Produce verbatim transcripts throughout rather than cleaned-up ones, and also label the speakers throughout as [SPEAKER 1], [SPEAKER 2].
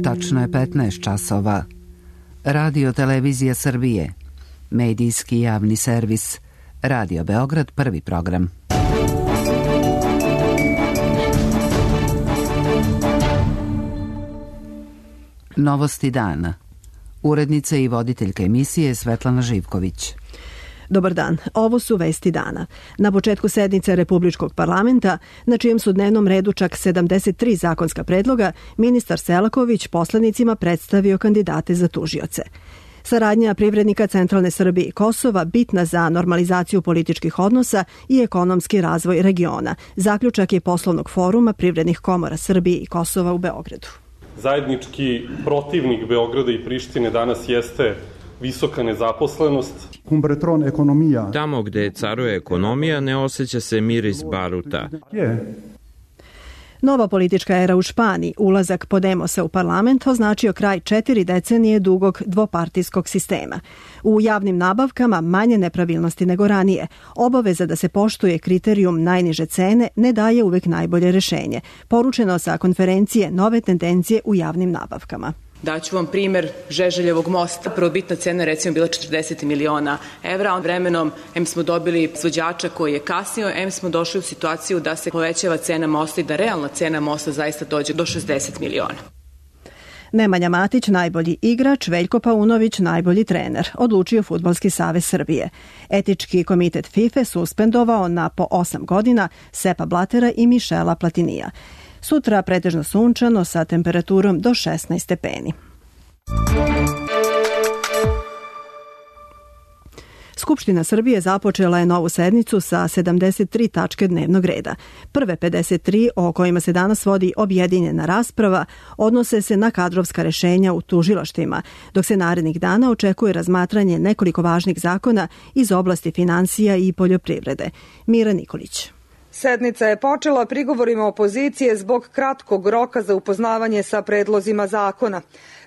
[SPEAKER 1] Tačno je petnaest časova. Radio Televizija Srbije. Medijski javni servis. Radio Beograd, prvi program. Novosti dana. Urednica i voditeljka emisije Svetlana Živković.
[SPEAKER 2] Dobar dan, ovo su vesti dana. Na početku sednice Republičkog parlamenta, na čijem su dnevnom redu čak sedamdeset tri zakonska predloga, ministar Selaković poslanicima predstavio kandidate za tužioce. Saradnja privrednika centralne Srbije i Kosova bitna za normalizaciju političkih odnosa i ekonomski razvoj regiona. Zaključak je poslovnog foruma privrednih komora Srbije i Kosova u Beogradu.
[SPEAKER 3] Zajednički protivnik Beograda i Prištine danas jeste visoka nezaposlenost.
[SPEAKER 4] Tamo gde caruje ekonomija ne osjeća se miris baruta.
[SPEAKER 2] Nova politička era u Španiji, ulazak Podemosa u parlament, označio kraj četiri decenije dugog dvopartijskog sistema. U javnim nabavkama manje nepravilnosti nego ranije. Obaveza da se poštuje kriterijum najniže cene ne daje uvek najbolje rešenje. Poručeno sa konferencije Nove tendencije u javnim nabavkama.
[SPEAKER 5] Daću vam primer Žeželjevog mosta. Prvobitna cena recimo bila četrdeset miliona evra. Vremenom em smo dobili izvođača koji je kasnio, em smo došli u situaciju da se povećava cena mosta i da realna cena mosta zaista dođe do šezdeset miliona.
[SPEAKER 2] Nemanja Matić, najbolji igrač, Veljko Paunović, najbolji trener, odlučio Fudbalski savez Srbije. Etički komitet FIFA suspendovao na po osam godina Sepa Blatera i Mišela Platinija. Sutra pretežno sunčano sa temperaturom do šesnaest stepeni. Skupština Srbije započela je novu sednicu sa sedamdeset tri tačke dnevnog reda. Prve pedeset tri o kojima se danas vodi objedinjena rasprava odnose se na kadrovska rešenja u tužilaštvima, dok se narednih dana očekuje razmatranje nekoliko važnih zakona iz oblasti finansija i poljoprivrede. Mira Nikolić.
[SPEAKER 6] Sednica je počela prigovorima opozicije zbog kratkog roka za upoznavanje sa predlozima zakona.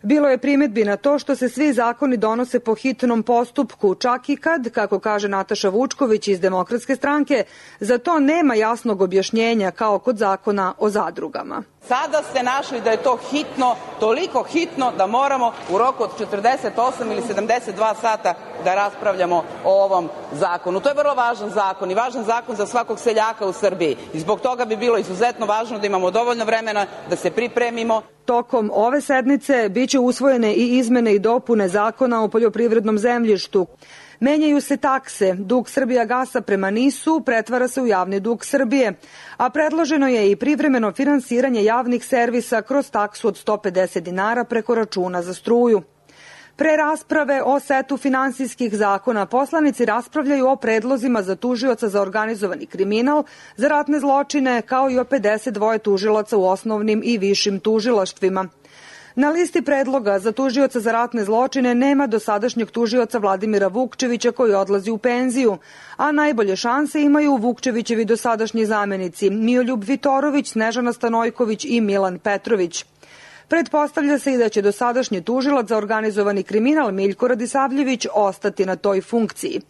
[SPEAKER 6] Bilo je primedbi na to što se svi zakoni donose po hitnom postupku, čak i kad, kako kaže Nataša Vučković iz Demokratske stranke, za to nema jasnog objašnjenja kao kod zakona o zadrugama.
[SPEAKER 7] Sada ste našli da je to hitno, toliko hitno da moramo u roku od četrdeset osam ili sedamdeset dva sata da raspravljamo o ovom zakonu. To je vrlo važan zakon i važan zakon za svakog seljaka u Srbiji. I zbog toga bi bilo izuzetno važno da imamo dovoljno vremena da se pripremimo.
[SPEAKER 6] Tokom ove sednice biće usvojene i izmene i dopune zakona o poljoprivrednom zemljištu. Menjaju se takse, dug Srbijagasa prema NIS-u pretvara se u javni dug Srbije, a predloženo je i privremeno finansiranje javnih servisa kroz taksu od sto pedeset dinara preko računa za struju. Pre rasprave o setu finansijskih zakona, poslanici raspravljaju o predlozima za tužioca za organizovani kriminal, za ratne zločine, kao i o pedeset dva tužilaca u osnovnim i višim tužilaštvima. Na listi predloga za tužioca za ratne zločine nema dosadašnjeg tužioca Vladimira Vukčevića koji odlazi u penziju, a najbolje šanse imaju Vukčevićevi dosadašnji zamenici Mioljub Vitorović, Snežana Stanojković i Milan Petrović. Pretpostavlja se i da će dosadašnji tužilac za organizovani kriminal Miljko Radisavljević ostati na toj funkciji.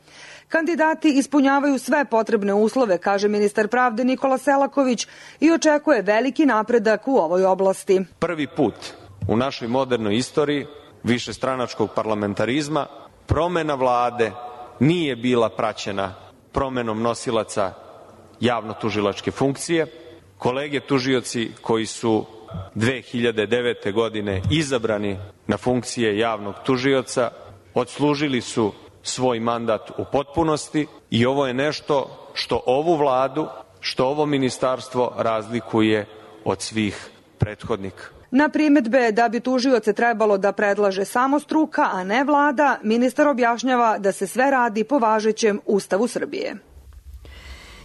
[SPEAKER 6] Kandidati ispunjavaju sve potrebne uslove, kaže ministar pravde Nikola Selaković, i očekuje veliki napredak u ovoj oblasti.
[SPEAKER 8] Prvi put u našoj modernoj istoriji višestranačkog parlamentarizma promena vlade nije bila praćena promenom nosilaca javno-tužilačke funkcije. Kolege tužioci koji su dve hiljade devete. godine izabrani na funkcije javnog tužioca odslužili su svoj mandat u potpunosti i ovo je nešto što ovu vladu, što ovo ministarstvo razlikuje od svih prethodnika.
[SPEAKER 6] Na primedbe da bi tužioce trebalo da predlaže samo struka, a ne vlada, ministar objašnjava da se sve radi po važećem Ustavu Srbije.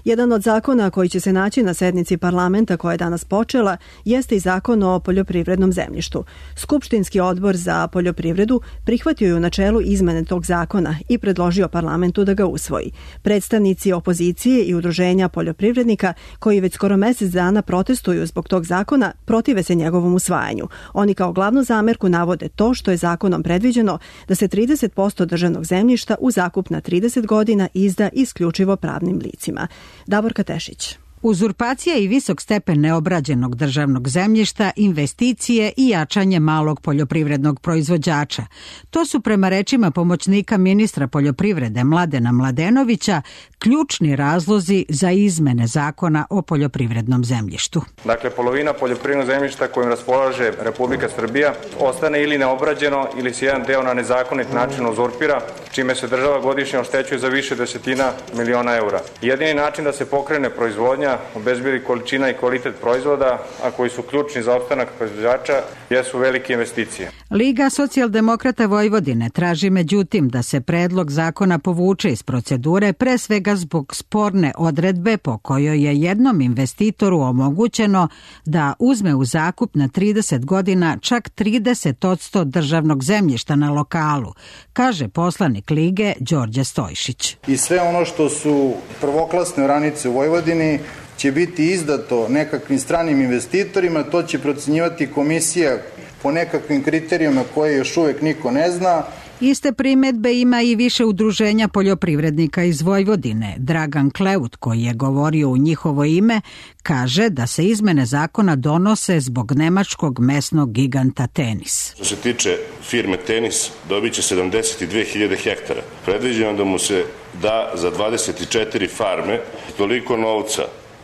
[SPEAKER 2] Jedan od zakona koji će se naći na sednici parlamenta koja je danas počela jeste i zakon o poljoprivrednom zemljištu. Skupštinski odbor za poljoprivredu prihvatio je u načelu izmene tog zakona i predložio parlamentu da ga usvoji. Predstavnici opozicije i udruženja poljoprivrednika koji već skoro mesec dana protestuju zbog tog zakona protive se njegovom usvajanju. Oni kao glavnu zamerku navode to što je zakonom predviđeno da se trideset posto državnog zemljišta u zakup na trideset godina izda isključivo pravnim licima. Davorka Tešić.
[SPEAKER 9] Uzurpacija i visok stepen neobrađenog državnog zemljišta, investicije i jačanje malog poljoprivrednog proizvođača. To su prema rečima pomoćnika ministra poljoprivrede Mladena Mladenovića ključni razlozi za izmene zakona o poljoprivrednom zemljištu.
[SPEAKER 10] Dakle, polovina poljoprivrednog zemljišta kojim raspolaže Republika Srbija ostane ili neobrađeno ili se jedan deo na nezakonit način uzurpira, čime se država godišnje oštećuje za više desetina miliona eura. Jedini način da se pokrene proizvodnja, obezbedi količina i kvalitet proizvoda, a koji su ključni za opstanak proizvođača, jesu velike investicije.
[SPEAKER 9] Liga socijaldemokrata Vojvodine traži međutim da se predlog zakona povuče iz procedure, pre svega zbog sporne odredbe po kojoj je jednom investitoru omogućeno da uzme u zakup na trideset godina čak trideset posto državnog zemljišta na lokalu, kaže poslanik Lige Đorđe Stojšić.
[SPEAKER 11] I sve ono što su prvoklasne oranice u Vojvodini će biti izdato nekakvim stranim investitorima, to će procenjivati komisija po nekakvim kriterijima koje još uvek niko ne zna.
[SPEAKER 9] Iste primedbe ima i više udruženja poljoprivrednika iz Vojvodine. Dragan Kleut, koji je govorio u njihovo ime, kaže da se izmene zakona donose zbog nemačkog mesnog giganta Tenis.
[SPEAKER 12] Što se tiče firme Tenis, dobit će sedamdeset dve hiljade hektara. Predviđeno da mu se da za dvadeset četiri farme toliko novca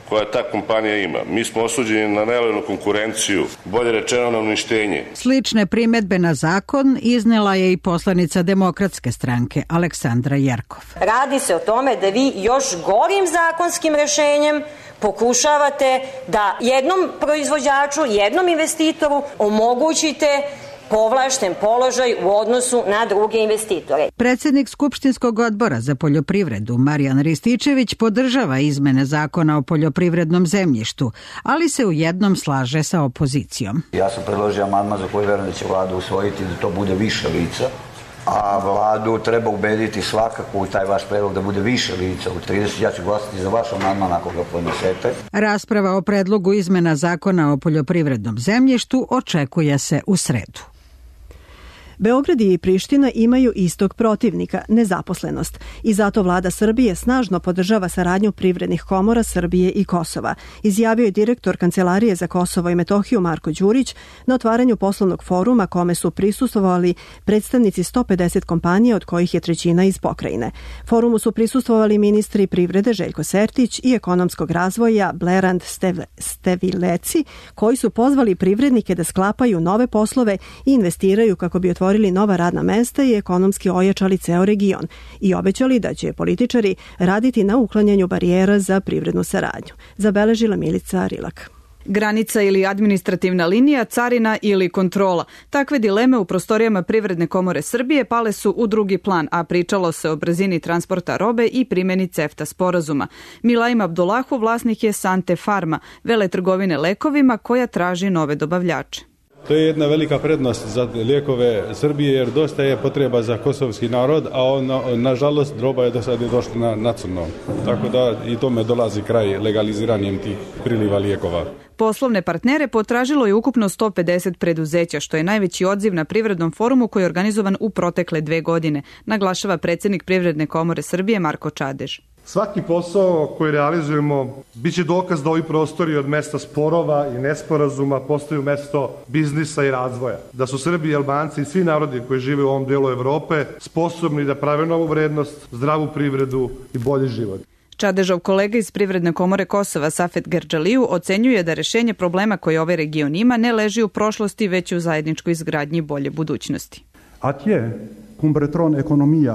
[SPEAKER 12] koja ta kompanija ima. Mi smo osuđeni na nelojalnu konkurenciju, bolje rečeno na uništenje.
[SPEAKER 9] Slične primedbe na zakon iznela je i poslanica Demokratske stranke Aleksandra Jerkov.
[SPEAKER 13] Radi se o tome da vi još gorim zakonskim rešenjem pokušavate da jednom proizvođaču, jednom investitoru omogućite povlašten položaj u odnosu na druge investitore.
[SPEAKER 9] Predsjednik Skupštinskog odbora za poljoprivredu Marijan Rističević podržava izmene zakona o poljoprivrednom zemljištu, ali se u jednom slaže sa opozicijom.
[SPEAKER 14] Ja sam predložio amandman za koji verujem da će vlada usvojiti da to bude više lica, a vladu treba ubediti svakako u taj vaš predlog da bude više lica u trideset. Ja ću glasati za vaš amandman ako ga podnesete.
[SPEAKER 9] Rasprava o predlogu izmena zakona o poljoprivrednom zemljištu očekuje se u sredu.
[SPEAKER 2] Beograd i Priština imaju istog protivnika, nezaposlenost, i zato vlada Srbije snažno podržava saradnju privrednih komora Srbije i Kosova, izjavio je direktor Kancelarije za Kosovo i Metohiju Marko Đurić na otvaranju poslovnog foruma kome su prisustvovali predstavnici sto pedeset kompanija, od kojih je trećina iz pokrajine. Forumu su prisustvovali ministri privrede Željko Sertić i ekonomskog razvoja Blerand Stevileci, koji su pozvali privrednike da sklapaju nove poslove i investiraju kako bi otvorili otvorili nova radna mesta i ekonomski ojačali ceo region i obećali da će političari raditi na uklanjanju barijera za privrednu saradnju. Zabeležila Milica Rilak.
[SPEAKER 15] Granica ili administrativna linija, carina ili kontrola. Takve dileme u prostorijama Privredne komore Srbije pale su u drugi plan, a pričalo se o brzini transporta robe i primjeni CEFTA sporazuma. Milaim Abdullahu vlasnik je Sante Farma, veletrgovine lekovima koja traži nove dobavljače.
[SPEAKER 16] To je jedna velika prednost za lijekove Srbije jer dosta je potreba za kosovski narod, a on, nažalost roba je do sad je došla na, na crno. Tako da i tome dolazi kraj legaliziranjem tih priliva lijekova.
[SPEAKER 15] Poslovne partnere potražilo je ukupno sto pedeset preduzeća, što je najveći odziv na Privrednom forumu koji je organizovan u protekle dve godine, naglašava predsjednik Privredne komore Srbije Marko Čadež.
[SPEAKER 17] Svaki posao koji realizujemo biće dokaz da ovi prostori od mesta sporova i nesporazuma postaju mesto biznisa i razvoja. Da su Srbi i Albanci i svi narodi koji žive u ovom delu Evrope sposobni da prave novu vrednost, zdravu privredu i bolji život.
[SPEAKER 15] Čadežov kolega iz Privredne komore Kosova Safet Gerdžaliju ocenjuje da rešenje problema koje ovaj region ima ne leži u prošlosti, već u zajedničkoj izgradnji bolje budućnosti.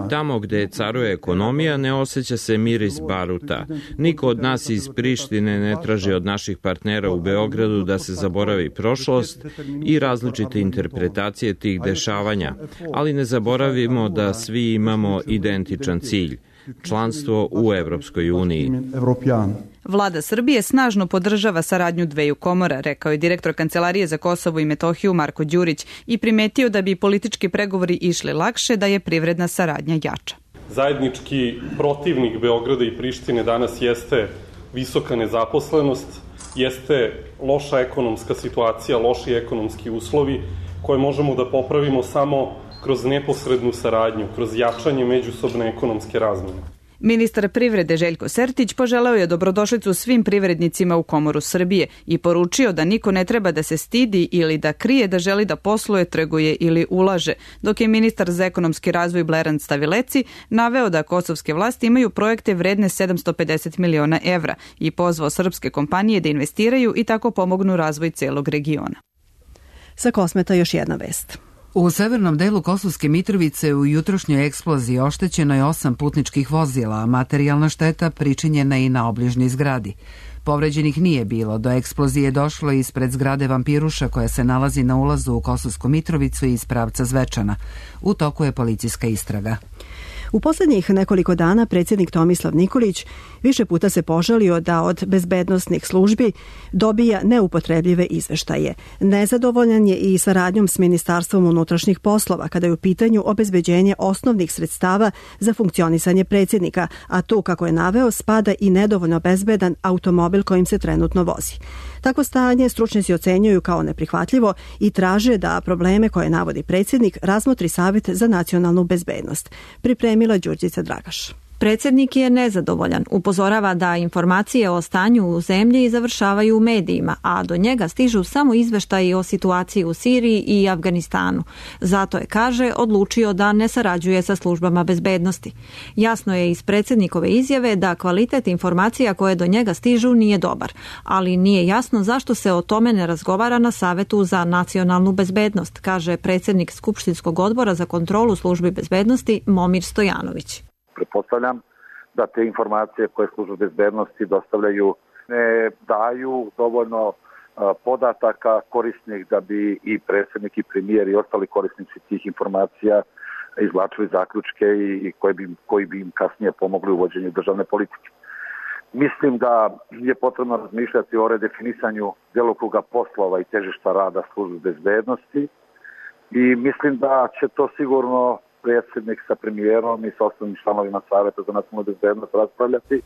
[SPEAKER 4] Tamo gde caruje ekonomija ne osjeća se miris baruta. Niko od nas iz Prištine ne traži od naših partnera u Beogradu da se zaboravi prošlost i različite interpretacije tih dešavanja, ali ne zaboravimo da svi imamo identičan cilj – članstvo u Evropskoj uniji.
[SPEAKER 15] Vlada Srbije snažno podržava saradnju dveju komora, rekao je direktor Kancelarije za Kosovo i Metohiju Marko Đurić i primetio da bi politički pregovori išli lakše da je privredna saradnja jača.
[SPEAKER 3] Zajednički protivnik Beograda i Prištine danas jeste visoka nezaposlenost, jeste loša ekonomska situacija, loši ekonomski uslovi koje možemo da popravimo samo kroz neposrednu saradnju, kroz jačanje međusobne ekonomske razmene.
[SPEAKER 15] Ministar privrede Željko Sertić poželeo je dobrodošlicu svim privrednicima u Komoru Srbije i poručio da niko ne treba da se stidi ili da krije da želi da posluje, trguje ili ulaže, dok je ministar za ekonomski razvoj Bleran Stavileci naveo da kosovske vlasti imaju projekte vredne sedamsto pedeset miliona evra i pozvao srpske kompanije da investiraju i tako pomognu razvoj celog regiona.
[SPEAKER 2] Sa Kosmeta još jedna vest.
[SPEAKER 1] U severnom delu Kosovske Mitrovice u jutrošnjoj eksploziji oštećeno je osam putničkih vozila, a materijalna šteta pričinjena i na obližnjoj zgradi. Povređenih nije bilo, do eksplozije došlo ispred zgrade Vampiruša koja se nalazi na ulazu u Kosovsku Mitrovicu iz pravca Zvečana. U toku je policijska istraga.
[SPEAKER 2] U posljednjih nekoliko dana predsjednik Tomislav Nikolić više puta se požalio da od bezbednosnih službi dobija neupotrebljive izveštaje. Nezadovoljan je i saradnjom s Ministarstvom unutrašnjih poslova kada je u pitanju obezbeđenje osnovnih sredstava za funkcionisanje predsjednika, a tu, kako je naveo, spada i nedovoljno bezbedan automobil kojim se trenutno vozi. Takvo stanje stručnjaci ocenjuju kao neprihvatljivo i traže da probleme koje navodi predsjednik razmotri Savjet za nacionalnu bezbednost. Pripremila Đurđica Dragaš.
[SPEAKER 18] Predsjednik je nezadovoljan. Upozorava da informacije o stanju u zemlji završavaju u medijima, a do njega stižu samo izveštaji o situaciji u Siriji i Afganistanu. Zato je, kaže, odlučio da ne sarađuje sa službama bezbednosti. Jasno je iz predsjednikove izjave da kvalitet informacija koje do njega stižu nije dobar, ali nije jasno zašto se o tome ne razgovara na Savetu za nacionalnu bezbednost, kaže predsjednik Skupštinskog odbora za kontrolu službi bezbednosti Momir Stojanović.
[SPEAKER 19] Pretpostavljam da te informacije koje službe bezbednosti dostavljaju ne daju dovoljno podataka korisnih da bi i predsjednik i premijer i ostali korisnici tih informacija izvlačili zaključke i koji bi, koji bi im kasnije pomogli u vođenju državne politike. Mislim da je potrebno razmišljati o redefinisanju djelokruga poslova i težišta rada službe bezbednosti i mislim da će to sigurno predsjednik sa premijerom i sa osnovnim članovima Savjeta za nacionalnu bezbednost raspravljati.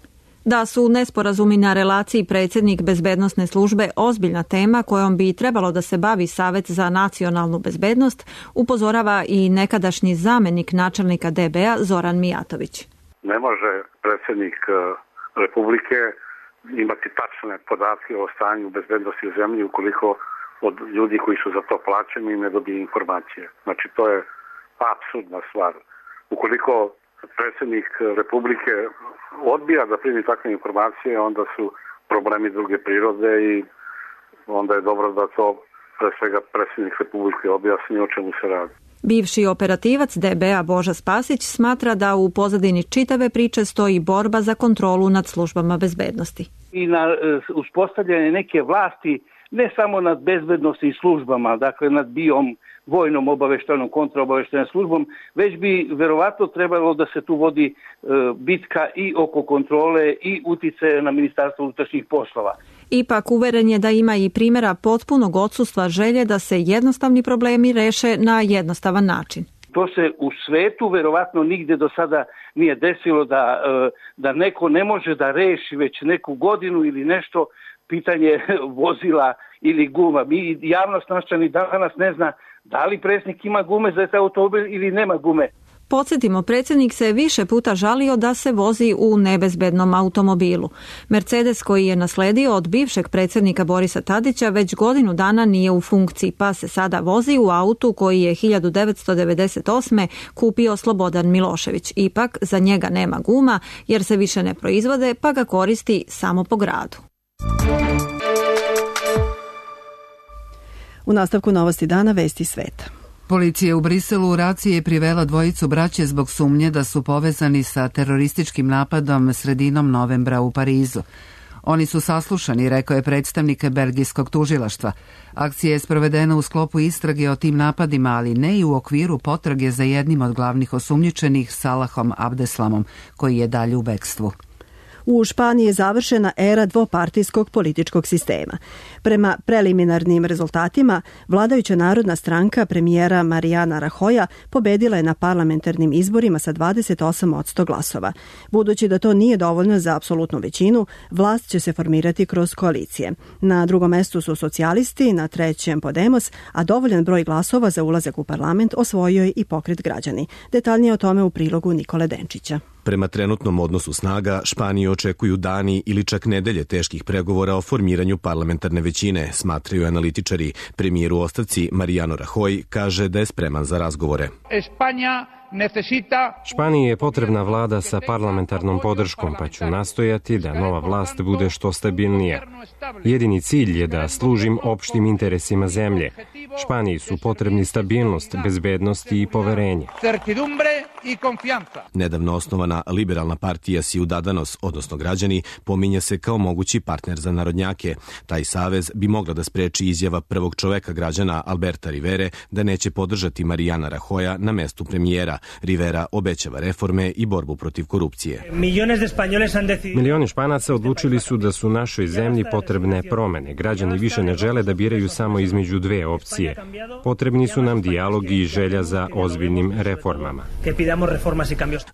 [SPEAKER 18] Da su nesporazumi na relaciji predsjednik bezbednosne službe ozbiljna tema kojom bi trebalo da se bavi Savjet za nacionalnu bezbednost, upozorava i nekadašnji zamenik načelnika D B-a Zoran Mijatović.
[SPEAKER 20] Ne može predsjednik Republike imati tačne podatke o stanju bezbednosti u zemlji ukoliko od ljudi koji su za to plaćeni ne dobije informacije. Znači to je apsurdna stvar. Ukoliko predsjednik Republike odbija da primi takve informacije, onda su problemi druge prirode i onda je dobro da to pre svega predsjednik Republike objasni o čemu se radi.
[SPEAKER 18] Bivši operativac D B-a Boža Spasić smatra da u pozadini čitave priče stoji borba za kontrolu nad službama bezbednosti.
[SPEAKER 21] I na uspostavljanje neke vlasti ne samo nad bezbednosnim službama, dakle nad BIOM, vojnom obaveštajnom kontraobaveštajnom službom, već bi verovatno trebalo da se tu vodi e, bitka i oko kontrole i uticaja na Ministarstvo unutrašnjih poslova.
[SPEAKER 18] Ipak uveren je da ima i primjera potpunog odsustva želje da se jednostavni problemi reše na jednostavan način.
[SPEAKER 21] To se u svetu verovatno nigde do sada nije desilo da, e, da neko ne može da reši već neku godinu ili nešto pitanje vozila ili guma. Mi javnost naša ni danas ne zna da li predsjednik ima gume za taj automobil ili nema gume.
[SPEAKER 18] Podsjetimo, predsjednik se više puta žalio da se vozi u nebezbednom automobilu. Mercedes koji je nasledio od bivšeg predsjednika Borisa Tadića već godinu dana nije u funkciji, pa se sada vozi u autu koji je hiljadu devetsto devedeset osme kupio Slobodan Milošević. Ipak za njega nema guma jer se više ne proizvode, pa ga koristi samo po gradu.
[SPEAKER 2] U nastavku novosti dana vesti sveta.
[SPEAKER 1] Policija u Briselu u raciji je privela dvojicu braće zbog sumnje da su povezani sa terorističkim napadom sredinom novembra u Parizu. Oni su saslušani, rekao je predstavnik belgijskog tužilaštva. Akcija je sprovedena u sklopu istrage o tim napadima, ali ne i u okviru potrage za jednim od glavnih osumnjičenih, Salahom Abdeslamom, koji je dalje u bekstvu.
[SPEAKER 2] U Španiji je završena era dvopartijskog političkog sistema. Prema preliminarnim rezultatima, vladajuća narodna stranka premijera Mariana Rajoya pobedila je na parlamentarnim izborima sa dvadeset osam posto glasova. Budući da to nije dovoljno za apsolutnu većinu, vlast će se formirati kroz koalicije. Na drugom mestu su socijalisti, na trećem Podemos, a dovoljan broj glasova za ulazak u parlament osvojio je i Pokret građani. Detaljnije o tome u prilogu Nikole Denčića.
[SPEAKER 5] Prema trenutnom odnosu snaga, Španiju očekuju dani ili čak nedelje teških pregovora o formiranju parlamentarne većine, smatraju analitičari. Premijer u ostavci Mariano Rajoy kaže da je spreman za razgovore.
[SPEAKER 22] Španiji je potrebna vlada sa parlamentarnom podrškom, pa ću nastojati da nova vlast bude što stabilnija. Jedini cilj je da služim opštim interesima zemlje. Španiji su potrebni stabilnost, bezbednost i poverenje.
[SPEAKER 5] Nedavno osnovana liberalna partija Ciudadanos, odnosno građani, pominje se kao mogući partner za narodnjake. Taj savez bi mogla da spreči izjava prvog čoveka građana Alberta Rivere da neće podržati Mariana Rajoya na mestu premijera. Rivera obećava reforme i borbu protiv korupcije.
[SPEAKER 22] Milioni Španaca odlučili su da su našoj zemlji potrebne promene. Građani više ne žele da biraju samo između dve opcije. Potrebni su nam dijalog i želja za ozbiljnim reformama.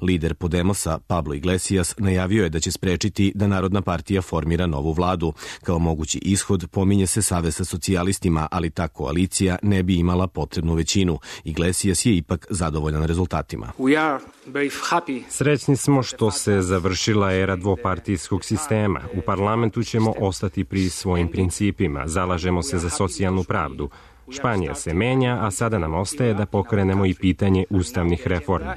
[SPEAKER 5] Lider Podemosa, Pablo Iglesias, najavio je da će sprečiti da Narodna partija formira novu vladu. Kao mogući ishod pominje se savez sa socijalistima, ali ta koalicija ne bi imala potrebnu većinu. Iglesias je ipak zadovoljan rezultatima.
[SPEAKER 22] Srećni smo što se završila era dvopartijskog sistema. U parlamentu ćemo ostati pri svojim principima. Zalažemo se za socijalnu pravdu. Španija se menja, a sada nam ostaje da pokrenemo i pitanje ustavnih reformi.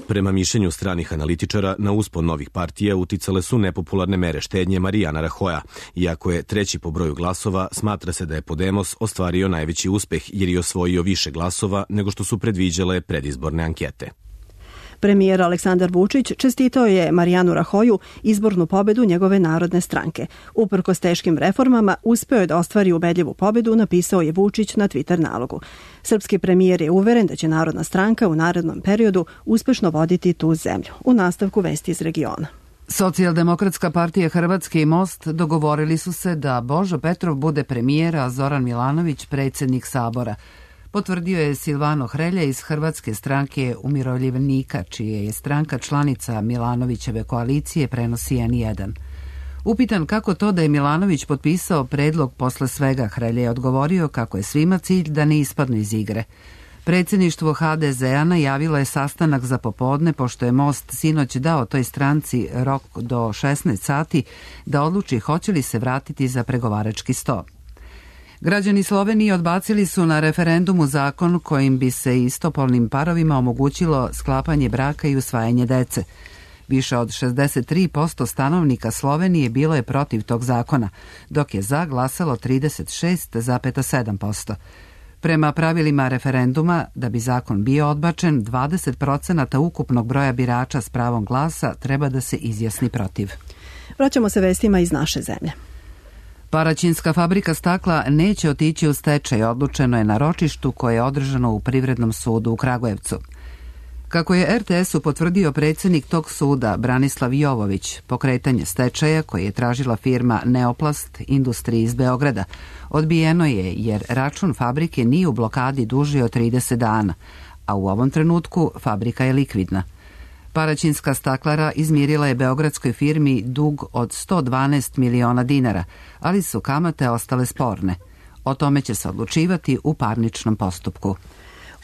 [SPEAKER 5] Prema mišljenju stranih analitičara, na uspon novih partija uticale su nepopularne mere štednje Mariana Rajoya. Iako je treći po broju glasova, smatra se da je Podemos ostvario najveći uspeh jer je osvojio više glasova nego što su predviđale predizborne ankete.
[SPEAKER 2] Premijer Aleksandar Vučić čestitao je Marijanu Rajoyu izbornu pobedu njegove narodne stranke. Uprkos teškim reformama, uspeo je da ostvari ubedljivu pobedu, napisao je Vučić na Twitter nalogu. Srpski premijer je uveren da će Narodna stranka u narednom periodu uspešno voditi tu zemlju. U nastavku vesti iz regiona.
[SPEAKER 1] Socijaldemokratska partija Hrvatske i Most dogovorili su se da Božo Petrov bude premijer, a Zoran Milanović predsjednik Sabora. Potvrdio je Silvano Hrelja iz Hrvatske stranke umirovljenika, čije je stranka članica Milanovićeve koalicije, prenosi N jedan. Upitan kako to da je Milanović potpisao predlog posle svega, Hrelja je odgovorio kako je svima cilj da ne ispadnu iz igre. Predsjedništvo H D Z-a najavilo je sastanak za popodne, pošto je Most sinoć dao toj stranci rok do šesnaest sati da odluči hoće li se vratiti za pregovarački sto. Građani Slovenije odbacili su na referendumu zakon kojim bi se istopolnim parovima omogućilo sklapanje braka i usvajanje dece. Više od šezdeset tri posto stanovnika Slovenije bilo je protiv tog zakona, dok je za glasalo trideset šest zarez sedam posto. Prema pravilima referenduma, da bi zakon bio odbačen, dvadeset procenata ukupnog broja birača s pravom glasa treba da se izjasni protiv.
[SPEAKER 2] Vraćamo se vestima iz naše zemlje.
[SPEAKER 1] Paraćinska fabrika stakla neće otići u stečaj, odlučeno je na ročištu koje je održano u Privrednom sudu u Kragujevcu. Kako je R T S-u potvrdio predsjednik tog suda Branislav Jovović, pokretanje stečaja koje je tražila firma Neoplast Industriji iz Beograda odbijeno je jer račun fabrike nije u blokadi duži od trideset dana, a u ovom trenutku fabrika je likvidna. Paraćinska staklara izmirila je beogradskoj firmi dug od sto dvanaest miliona dinara, ali su kamate ostale sporne. O tome će se odlučivati u parničnom postupku.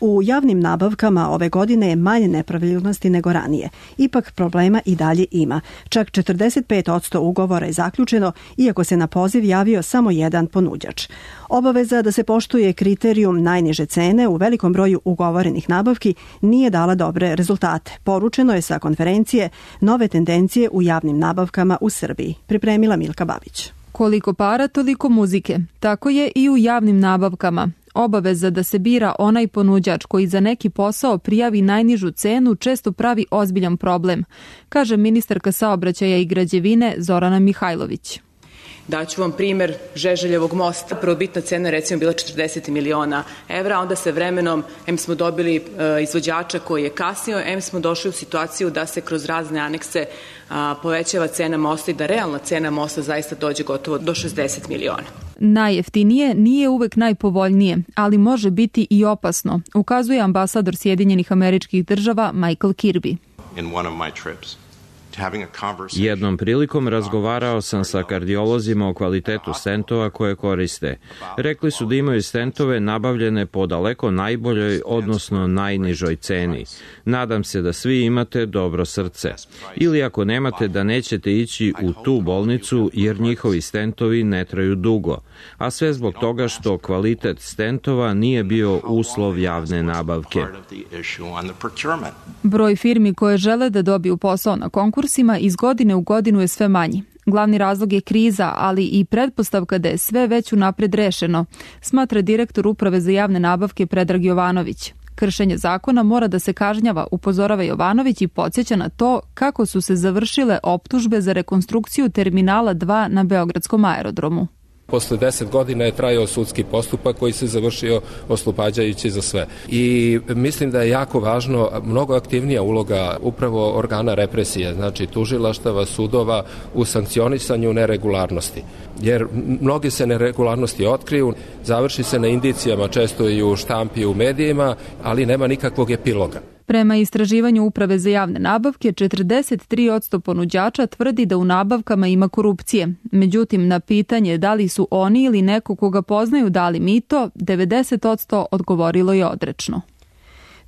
[SPEAKER 2] U javnim nabavkama ove godine je manje nepravilnosti nego ranije. Ipak problema i dalje ima. Čak četrdeset pet posto ugovora je zaključeno, iako se na poziv javio samo jedan ponuđač. Obaveza da se poštuje kriterijum najniže cene u velikom broju ugovorenih nabavki nije dala dobre rezultate. Poručeno je sa konferencije Nove tendencije u javnim nabavkama u Srbiji. Pripremila Milka Babić.
[SPEAKER 23] Koliko para, toliko muzike. Tako je i u javnim nabavkama. Obaveza da se bira onaj ponuđač koji za neki posao prijavi najnižu cenu često pravi ozbiljan problem, kaže ministarka saobraćaja i građevine Zorana Mihajlović.
[SPEAKER 24] Daću vam primer Žeželjevog mosta. Prvobitna cena recimo bila četrdeset miliona evra, onda se vremenom, em smo dobili e, izvođača koji je kasnio, em smo došli u situaciju da se kroz razne anekse a, povećava cena mosta i da realna cena mosta zaista dođe gotovo do šezdeset miliona.
[SPEAKER 23] Najjeftinije nije uvek najpovoljnije, ali može biti i opasno, ukazuje ambasador Sjedinjenih Američkih Država Michael Kirby.
[SPEAKER 25] In one of my trips
[SPEAKER 4] Jednom prilikom razgovarao sam sa kardiolozima o kvalitetu stentova koje koriste. Rekli su da imaju stentove nabavljene po daleko najboljoj, odnosno najnižoj ceni. Nadam se da svi imate dobro srce. Ili ako nemate, da nećete ići u tu bolnicu jer njihovi stentovi ne traju dugo. A sve zbog toga što kvalitet stentova nije bio uslov javne nabavke.
[SPEAKER 23] Broj firmi koje žele da dobiju posao na konkursima iz godine u godinu je sve manji. Glavni razlog je kriza, ali i pretpostavka da je sve već unapred rešeno, smatra direktor Uprave za javne nabavke Predrag Jovanović. Kršenje zakona mora da se kažnjava, upozorava Jovanović i podsjeća na to kako su se završile optužbe za rekonstrukciju terminala dva na Beogradskom aerodromu.
[SPEAKER 6] Posle deset godina je trajao sudski postupak koji se završio oslobađajući za sve. I mislim da je jako važno, mnogo aktivnija uloga upravo organa represije, znači tužilaštava, sudova u sankcionisanju neregularnosti. Jer mnoge se neregularnosti otkriju, završi se na indicijama, često i u štampi i u medijima, ali nema nikakvog epiloga.
[SPEAKER 23] Prema istraživanju Uprave za javne nabavke, četrdeset tri posto ponuđača tvrdi da u nabavkama ima korupcije. Međutim, na pitanje da li su oni ili neko koga poznaju dali mito, devedeset posto odgovorilo je odrečno.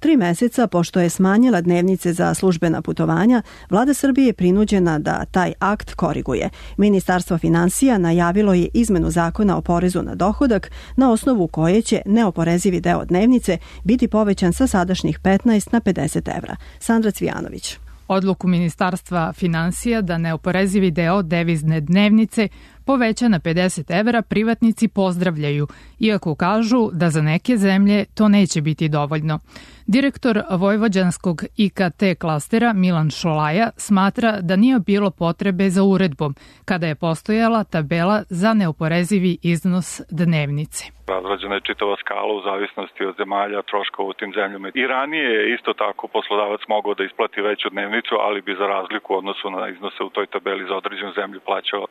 [SPEAKER 2] Tri meseca pošto je smanjila dnevnice za službena putovanja, Vlada Srbije je prinuđena da taj akt koriguje. Ministarstvo finansija najavilo je izmenu zakona o porezu na dohodak, na osnovu koje će neoporezivi deo dnevnice biti povećan sa sadašnjih petnaest na pedeset evra. Sandra Cvijanović.
[SPEAKER 7] Odluku Ministarstva finansija da neoporezivi deo devizne dnevnice poveća na pedeset evra privatnici pozdravljaju, iako kažu da za neke zemlje to neće biti dovoljno. Direktor vojvođanskog I K T klastera Milan Šolaja smatra da nije bilo potrebe za uredbom, kada je postojala tabela za neoporezivi iznos dnevnice.
[SPEAKER 8] Razrađena je čitava skala u zavisnosti od zemalja, troškova u tim zemljama. I ranije je isto tako poslodavac mogao da isplati veću dnevnicu, ali bi za razliku u odnosu na iznose u toj tabeli za određenu zemlju plaćao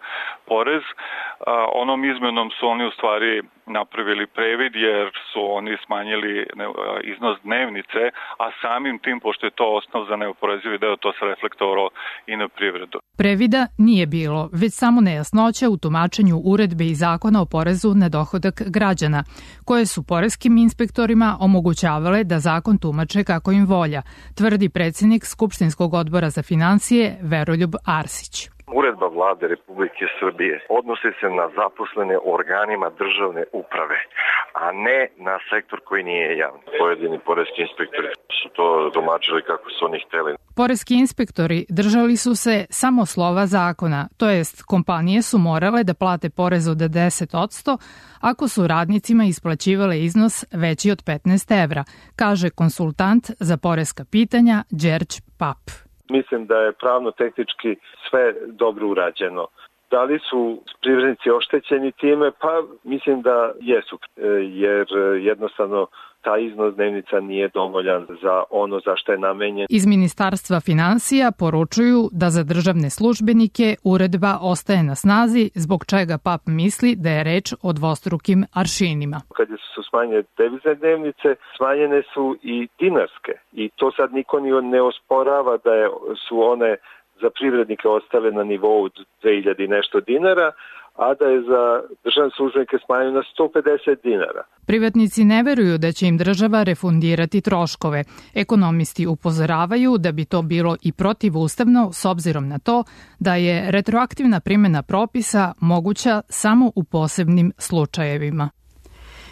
[SPEAKER 8] porez. A, onom izmenom su oni u stvari napravili previd jer su oni smanjili ne, iznos dnevnice, a samim tim, pošto je to osnov za neoporezivi deo, to se reflektovalo i na privredu.
[SPEAKER 7] Previda nije bilo, već samo nejasnoća u tumačenju uredbe i zakona o porezu na dohodak građana, koje su poreskim inspektorima omogućavale da zakon tumače kako im volja, tvrdi predsjednik Skupštinskog odbora za finansije Veroljub Arsić.
[SPEAKER 10] Uredba Vlade Republike Srbije odnosi se na zaposlene organima državne uprave, a ne na sektor koji nije javni. Pojedini poreski inspektori su to domačili kako su oni hteli.
[SPEAKER 7] Poreski inspektori držali su se samo slova zakona, to jest kompanije su morale da plate porez od deset posto ako su radnicima isplaćivale iznos veći od petnaest evra, kaže konsultant za poreska pitanja Đerđ Pap.
[SPEAKER 10] Mislim da je pravno-tehnički sve dobro urađeno. Da li su privrednici oštećeni time? Pa mislim da jesu, jer jednostavno taj iznos dnevnica nije dovoljan za ono za što je namenjen.
[SPEAKER 7] Iz Ministarstva finansija poručuju da za državne službenike uredba ostaje na snazi, zbog čega Pap misli da je reč o dvostrukim aršinima.
[SPEAKER 10] Kad su smanjene devizne dnevnice, smanjene su i dinarske. I to sad niko ne osporava da je, su one za privrednike ostale na nivou dve hiljade i nešto dinara, a da je za državne službenike smanjeno na sto pedeset dinara.
[SPEAKER 7] Privatnici ne veruju da će im država refundirati troškove. Ekonomisti upozoravaju da bi to bilo i protivustavno s obzirom na to da je retroaktivna primjena propisa moguća samo u posebnim slučajevima.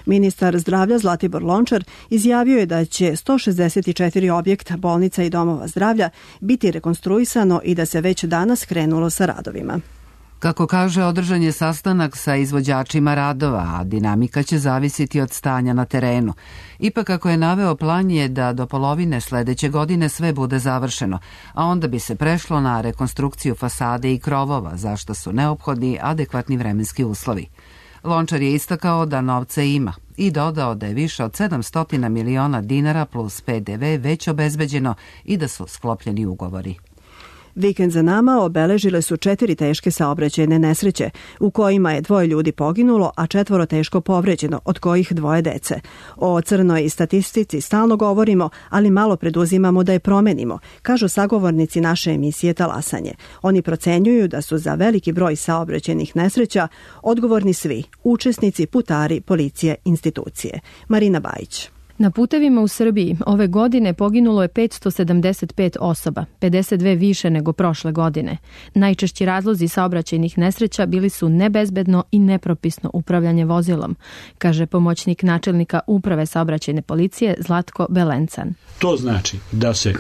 [SPEAKER 2] Ministar zdravlja Zlatibor Lončar izjavio je da će sto šezdeset četiri objekta, bolnica i domova zdravlja biti rekonstruisano i da se već danas krenulo sa radovima.
[SPEAKER 1] Kako kaže, održan je sastanak sa izvođačima radova, a dinamika će zavisiti od stanja na terenu. Ipak, kako je naveo, plan je da do polovine sledeće godine sve bude završeno, a onda bi se prešlo na rekonstrukciju fasade i krovova, za što su neophodni adekvatni vremenski uslovi. Lončar je istakao da novca ima i dodao da je više od sedamsto miliona dinara plus P D V već obezbeđeno i da su sklopljeni ugovori.
[SPEAKER 2] Vikend za nama obeležile su četiri teške saobraćajne nesreće, u kojima je dvoje ljudi poginulo, a četvoro teško povređeno, od kojih dvoje dece. O crnoj statistici stalno govorimo, ali malo preduzimamo da je promenimo, kažu sagovornici naše emisije Talasanje. Oni procenjuju da su za veliki broj saobraćajnih nesreća odgovorni svi, učesnici, putari, policije, institucije. Marina Bajić.
[SPEAKER 11] Na putevima u Srbiji ove godine poginulo je petsto sedamdeset pet osoba, pedeset dve više nego prošle godine. Najčešći razlozi saobraćajnih nesreća bili su nebezbedno i nepropisno upravljanje vozilom, kaže pomoćnik načelnika Uprave saobraćajne policije Zlatko Belencan.
[SPEAKER 12] To znači da se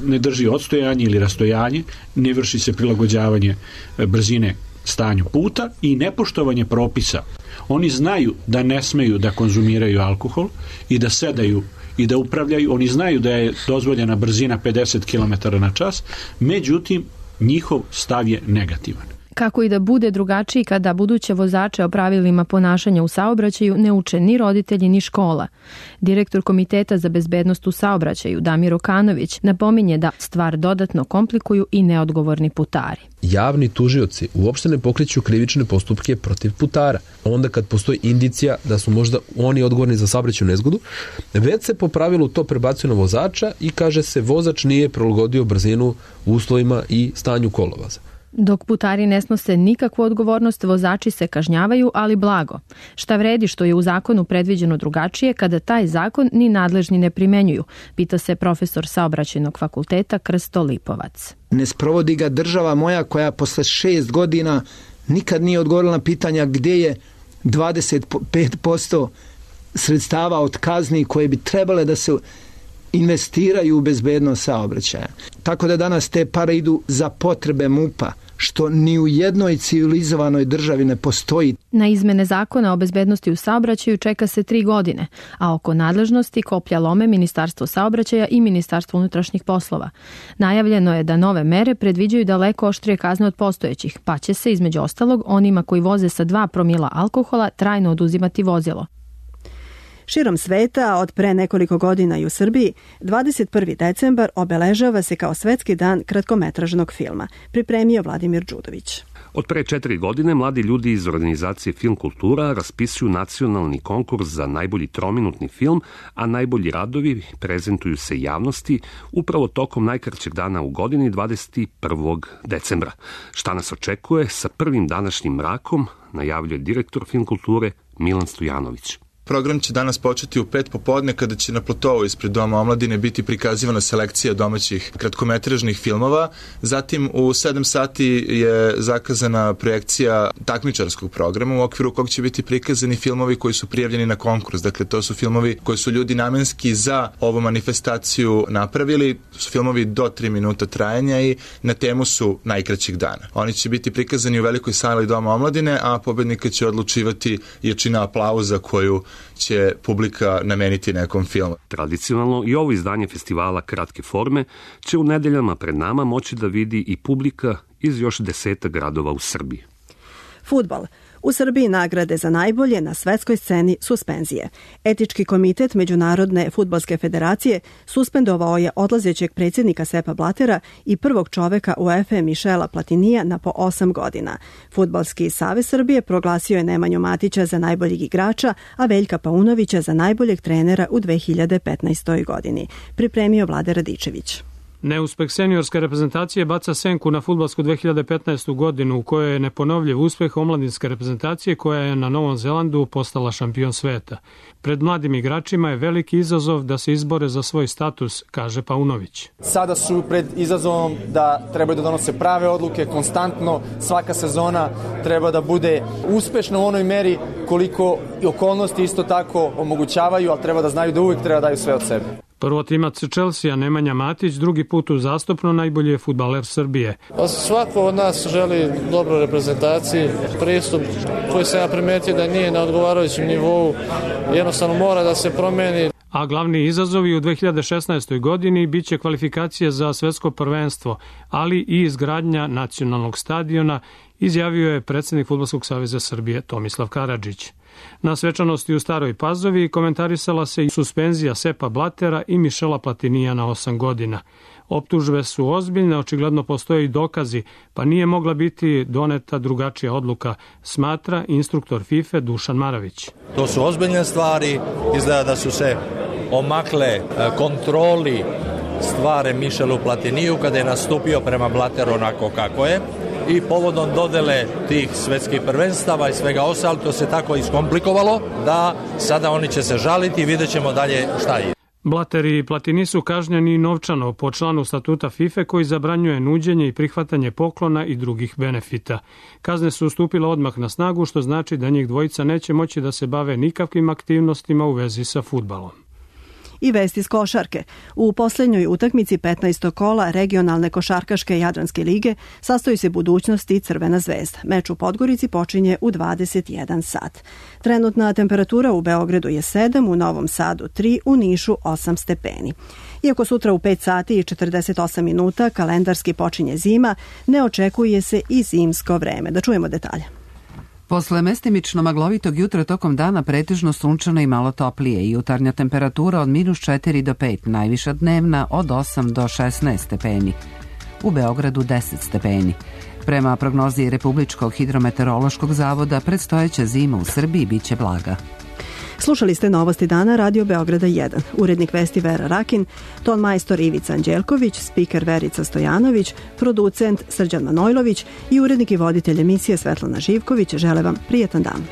[SPEAKER 12] ne drži odstojanje ili rastojanje, ne vrši se prilagođavanje brzine stanju puta i nepoštovanje propisa. Oni znaju da ne smeju da konzumiraju alkohol i da sedaju i da upravljaju. Oni znaju da je dozvoljena brzina pedeset kilometara na čas, međutim njihov stav je negativan.
[SPEAKER 11] Kako i da bude drugačiji kada buduće vozače o pravilima ponašanja u saobraćaju ne uče ni roditelji ni škola. Direktor Komiteta za bezbednost u saobraćaju Damir Okanović napominje da stvar dodatno komplikuju i neodgovorni putari.
[SPEAKER 13] Javni tužioci uopšte ne pokreću krivične postupke protiv putara. Onda kad postoji indicija da su možda oni odgovorni za saobraćajnu nezgodu, već se po pravilu to prebacuje na vozača i kaže se vozač nije prilagodio brzinu u uslovima i stanju kolovoza.
[SPEAKER 11] Dok putari ne snose nikakvu odgovornost, vozači se kažnjavaju, ali blago. Šta vredi što je u zakonu predviđeno drugačije kada taj zakon ni nadležni ne primenjuju, pita se profesor saobraćajnog fakulteta Krsto Lipovac.
[SPEAKER 14] Ne sprovodi ga država moja koja posle šest godina nikad nije odgovorila na pitanja gdje je dvadeset pet posto sredstava od kazni koje bi trebale da se investiraju u bezbednost saobraćaja. Tako da danas te pare idu za potrebe MUP-a, što ni u jednoj civilizovanoj državi ne postoji.
[SPEAKER 11] Na izmene zakona o bezbednosti u saobraćaju čeka se tri godine, a oko nadležnosti koplja lome Ministarstvo saobraćaja i Ministarstvo unutrašnjih poslova. Najavljeno je da nove mere predviđaju daleko oštrije kazne od postojećih, pa će se između ostalog onima koji voze sa dva promila alkohola trajno oduzimati vozilo.
[SPEAKER 2] Širom sveta, od pre nekoliko godina i u Srbiji, dvadeset prvi decembar obeležava se kao Svetski dan kratkometražnog filma, pripremio Vladimir Đudović.
[SPEAKER 25] Od pre četiri godine mladi ljudi iz organizacije Film Kultura raspisuju nacionalni konkurs za najbolji trominutni film, a najbolji radovi prezentuju se javnosti upravo tokom najkraćeg dana u godini, dvadeset prvog decembra. Šta nas očekuje sa prvim današnjim mrakom, najavljuje direktor Film Kulture Milan Stojanović.
[SPEAKER 26] Program će danas početi u pet popodne kada će na platovu ispred Doma omladine biti prikazivana selekcija domaćih kratkometražnih filmova. Zatim u sedam sati je zakazana projekcija takmičarskog programa u okviru kog će biti prikazani filmovi koji su prijavljeni na konkurs. Dakle, to su filmovi koji su ljudi namenski za ovu manifestaciju napravili. Su filmovi do tri minuta trajanja i na temu su najkraćeg dana. Oni će biti prikazani u velikoj sali Doma omladine, a pobednika će odlučivati jačina aplauza koju će publika nameniti nekom filmu.
[SPEAKER 25] Tradicionalno i ovo izdanje festivala kratke forme će u nedeljama pred nama moći da vidi i publika iz još deseta gradova u Srbiji.
[SPEAKER 2] Fudbal. U Srbiji nagrade za najbolje na svetskoj sceni suspenzije. Etički komitet Međunarodne fudbalske federacije suspendovao je odlazećeg predsjednika Sepa Blatera i prvog čoveka UEFA Mišela Platinija na po osam godina. Fudbalski savez Srbije proglasio je Nemanju Matića za najboljeg igrača, a Veljka Paunovića za najboljeg trenera u dve hiljade petnaestoj godini. Pripremio Vlade Radičević.
[SPEAKER 27] Neuspeh seniorske reprezentacije baca senku na fudbalsku dve hiljade petnaestu godinu u kojoj je neponovljiv uspeh omladinske reprezentacije koja je na Novom Zelandu postala šampion sveta. Pred mladim igračima je veliki izazov da se izbore za svoj status, kaže Paunović.
[SPEAKER 28] Sada su pred izazovom da trebaju da donose prave odluke konstantno, svaka sezona treba da bude uspešna u onoj meri koliko i okolnosti isto tako omogućavaju, ali treba da znaju da uvijek treba da daju sve od sebe.
[SPEAKER 27] Prvotimac Chelsea Nemanja Matić drugi put uzastopno najbolji je fudbaler Srbije.
[SPEAKER 29] Svako od nas želi dobru reprezentaciju, pristup koji se ja primetio da nije na odgovarajućem nivou, jednostavno mora da se promeni.
[SPEAKER 27] A glavni izazovi u dve hiljade šesnaestoj godini biće kvalifikacije za svetsko prvenstvo, ali i izgradnja nacionalnog stadiona, izjavio je predsjednik Fudbalskog saveza Srbije Tomislav Karadžić. Na svečanosti u Staroj Pazovi komentarisala se i suspenzija Sepa Blatera i Mišela Platinija na osam godina. Optužbe su ozbiljne, očigledno postoje i dokazi, pa nije mogla biti doneta drugačija odluka, smatra instruktor FIFA Dušan Maravić.
[SPEAKER 3] To su ozbiljne stvari, izgleda da su se omakle kontroli stvari Michelu Platiniju kada je nastupio prema Blateru onako kako je i povodom dodele tih svetskih prvenstava i svega ostalo, to se tako iskomplikovalo da sada oni će se žaliti i vidjet ćemo dalje šta je.
[SPEAKER 27] Blatter i Platini su kažnjeni novčano po članu statuta FIFA koji zabranjuje nuđenje i prihvatanje poklona i drugih benefita. Kazne su stupile odmah na snagu, što znači da njih dvojica neće moći da se bave nikakvim aktivnostima u vezi sa fudbalom.
[SPEAKER 2] I vesti iz košarke. U posljednjoj utakmici petnaestog kola regionalne košarkaške Jadranske lige sastoji se budućnost i Crvena zvezda. Meč u Podgorici počinje u dvadeset jedan sat. Trenutna temperatura u Beogradu je sedam, u Novom Sadu tri, u Nišu osam stepeni. Iako sutra u pet sati i četrdeset osam minuta kalendarski počinje zima, ne očekuje se i zimsko vreme. Da čujemo detalje.
[SPEAKER 1] Posle mestimično maglovitog jutra tokom dana pretežno sunčano i malo toplije i jutarnja temperatura od minus četiri do pet, najviša dnevna od osam do šesnaest stepeni. U Beogradu deset stepeni. Prema prognozi Republičkog hidrometeorološkog zavoda, predstojeća zima u Srbiji biće blaga.
[SPEAKER 2] Slušali ste Novosti dana Radio Beograda jedan. Urednik vesti Vera Rakin, ton majstor Ivica Anđelković, spiker Verica Stojanović, producent Srđan Manojlović i urednik i voditelj emisije Svetlana Živković žele vam prijetan dan.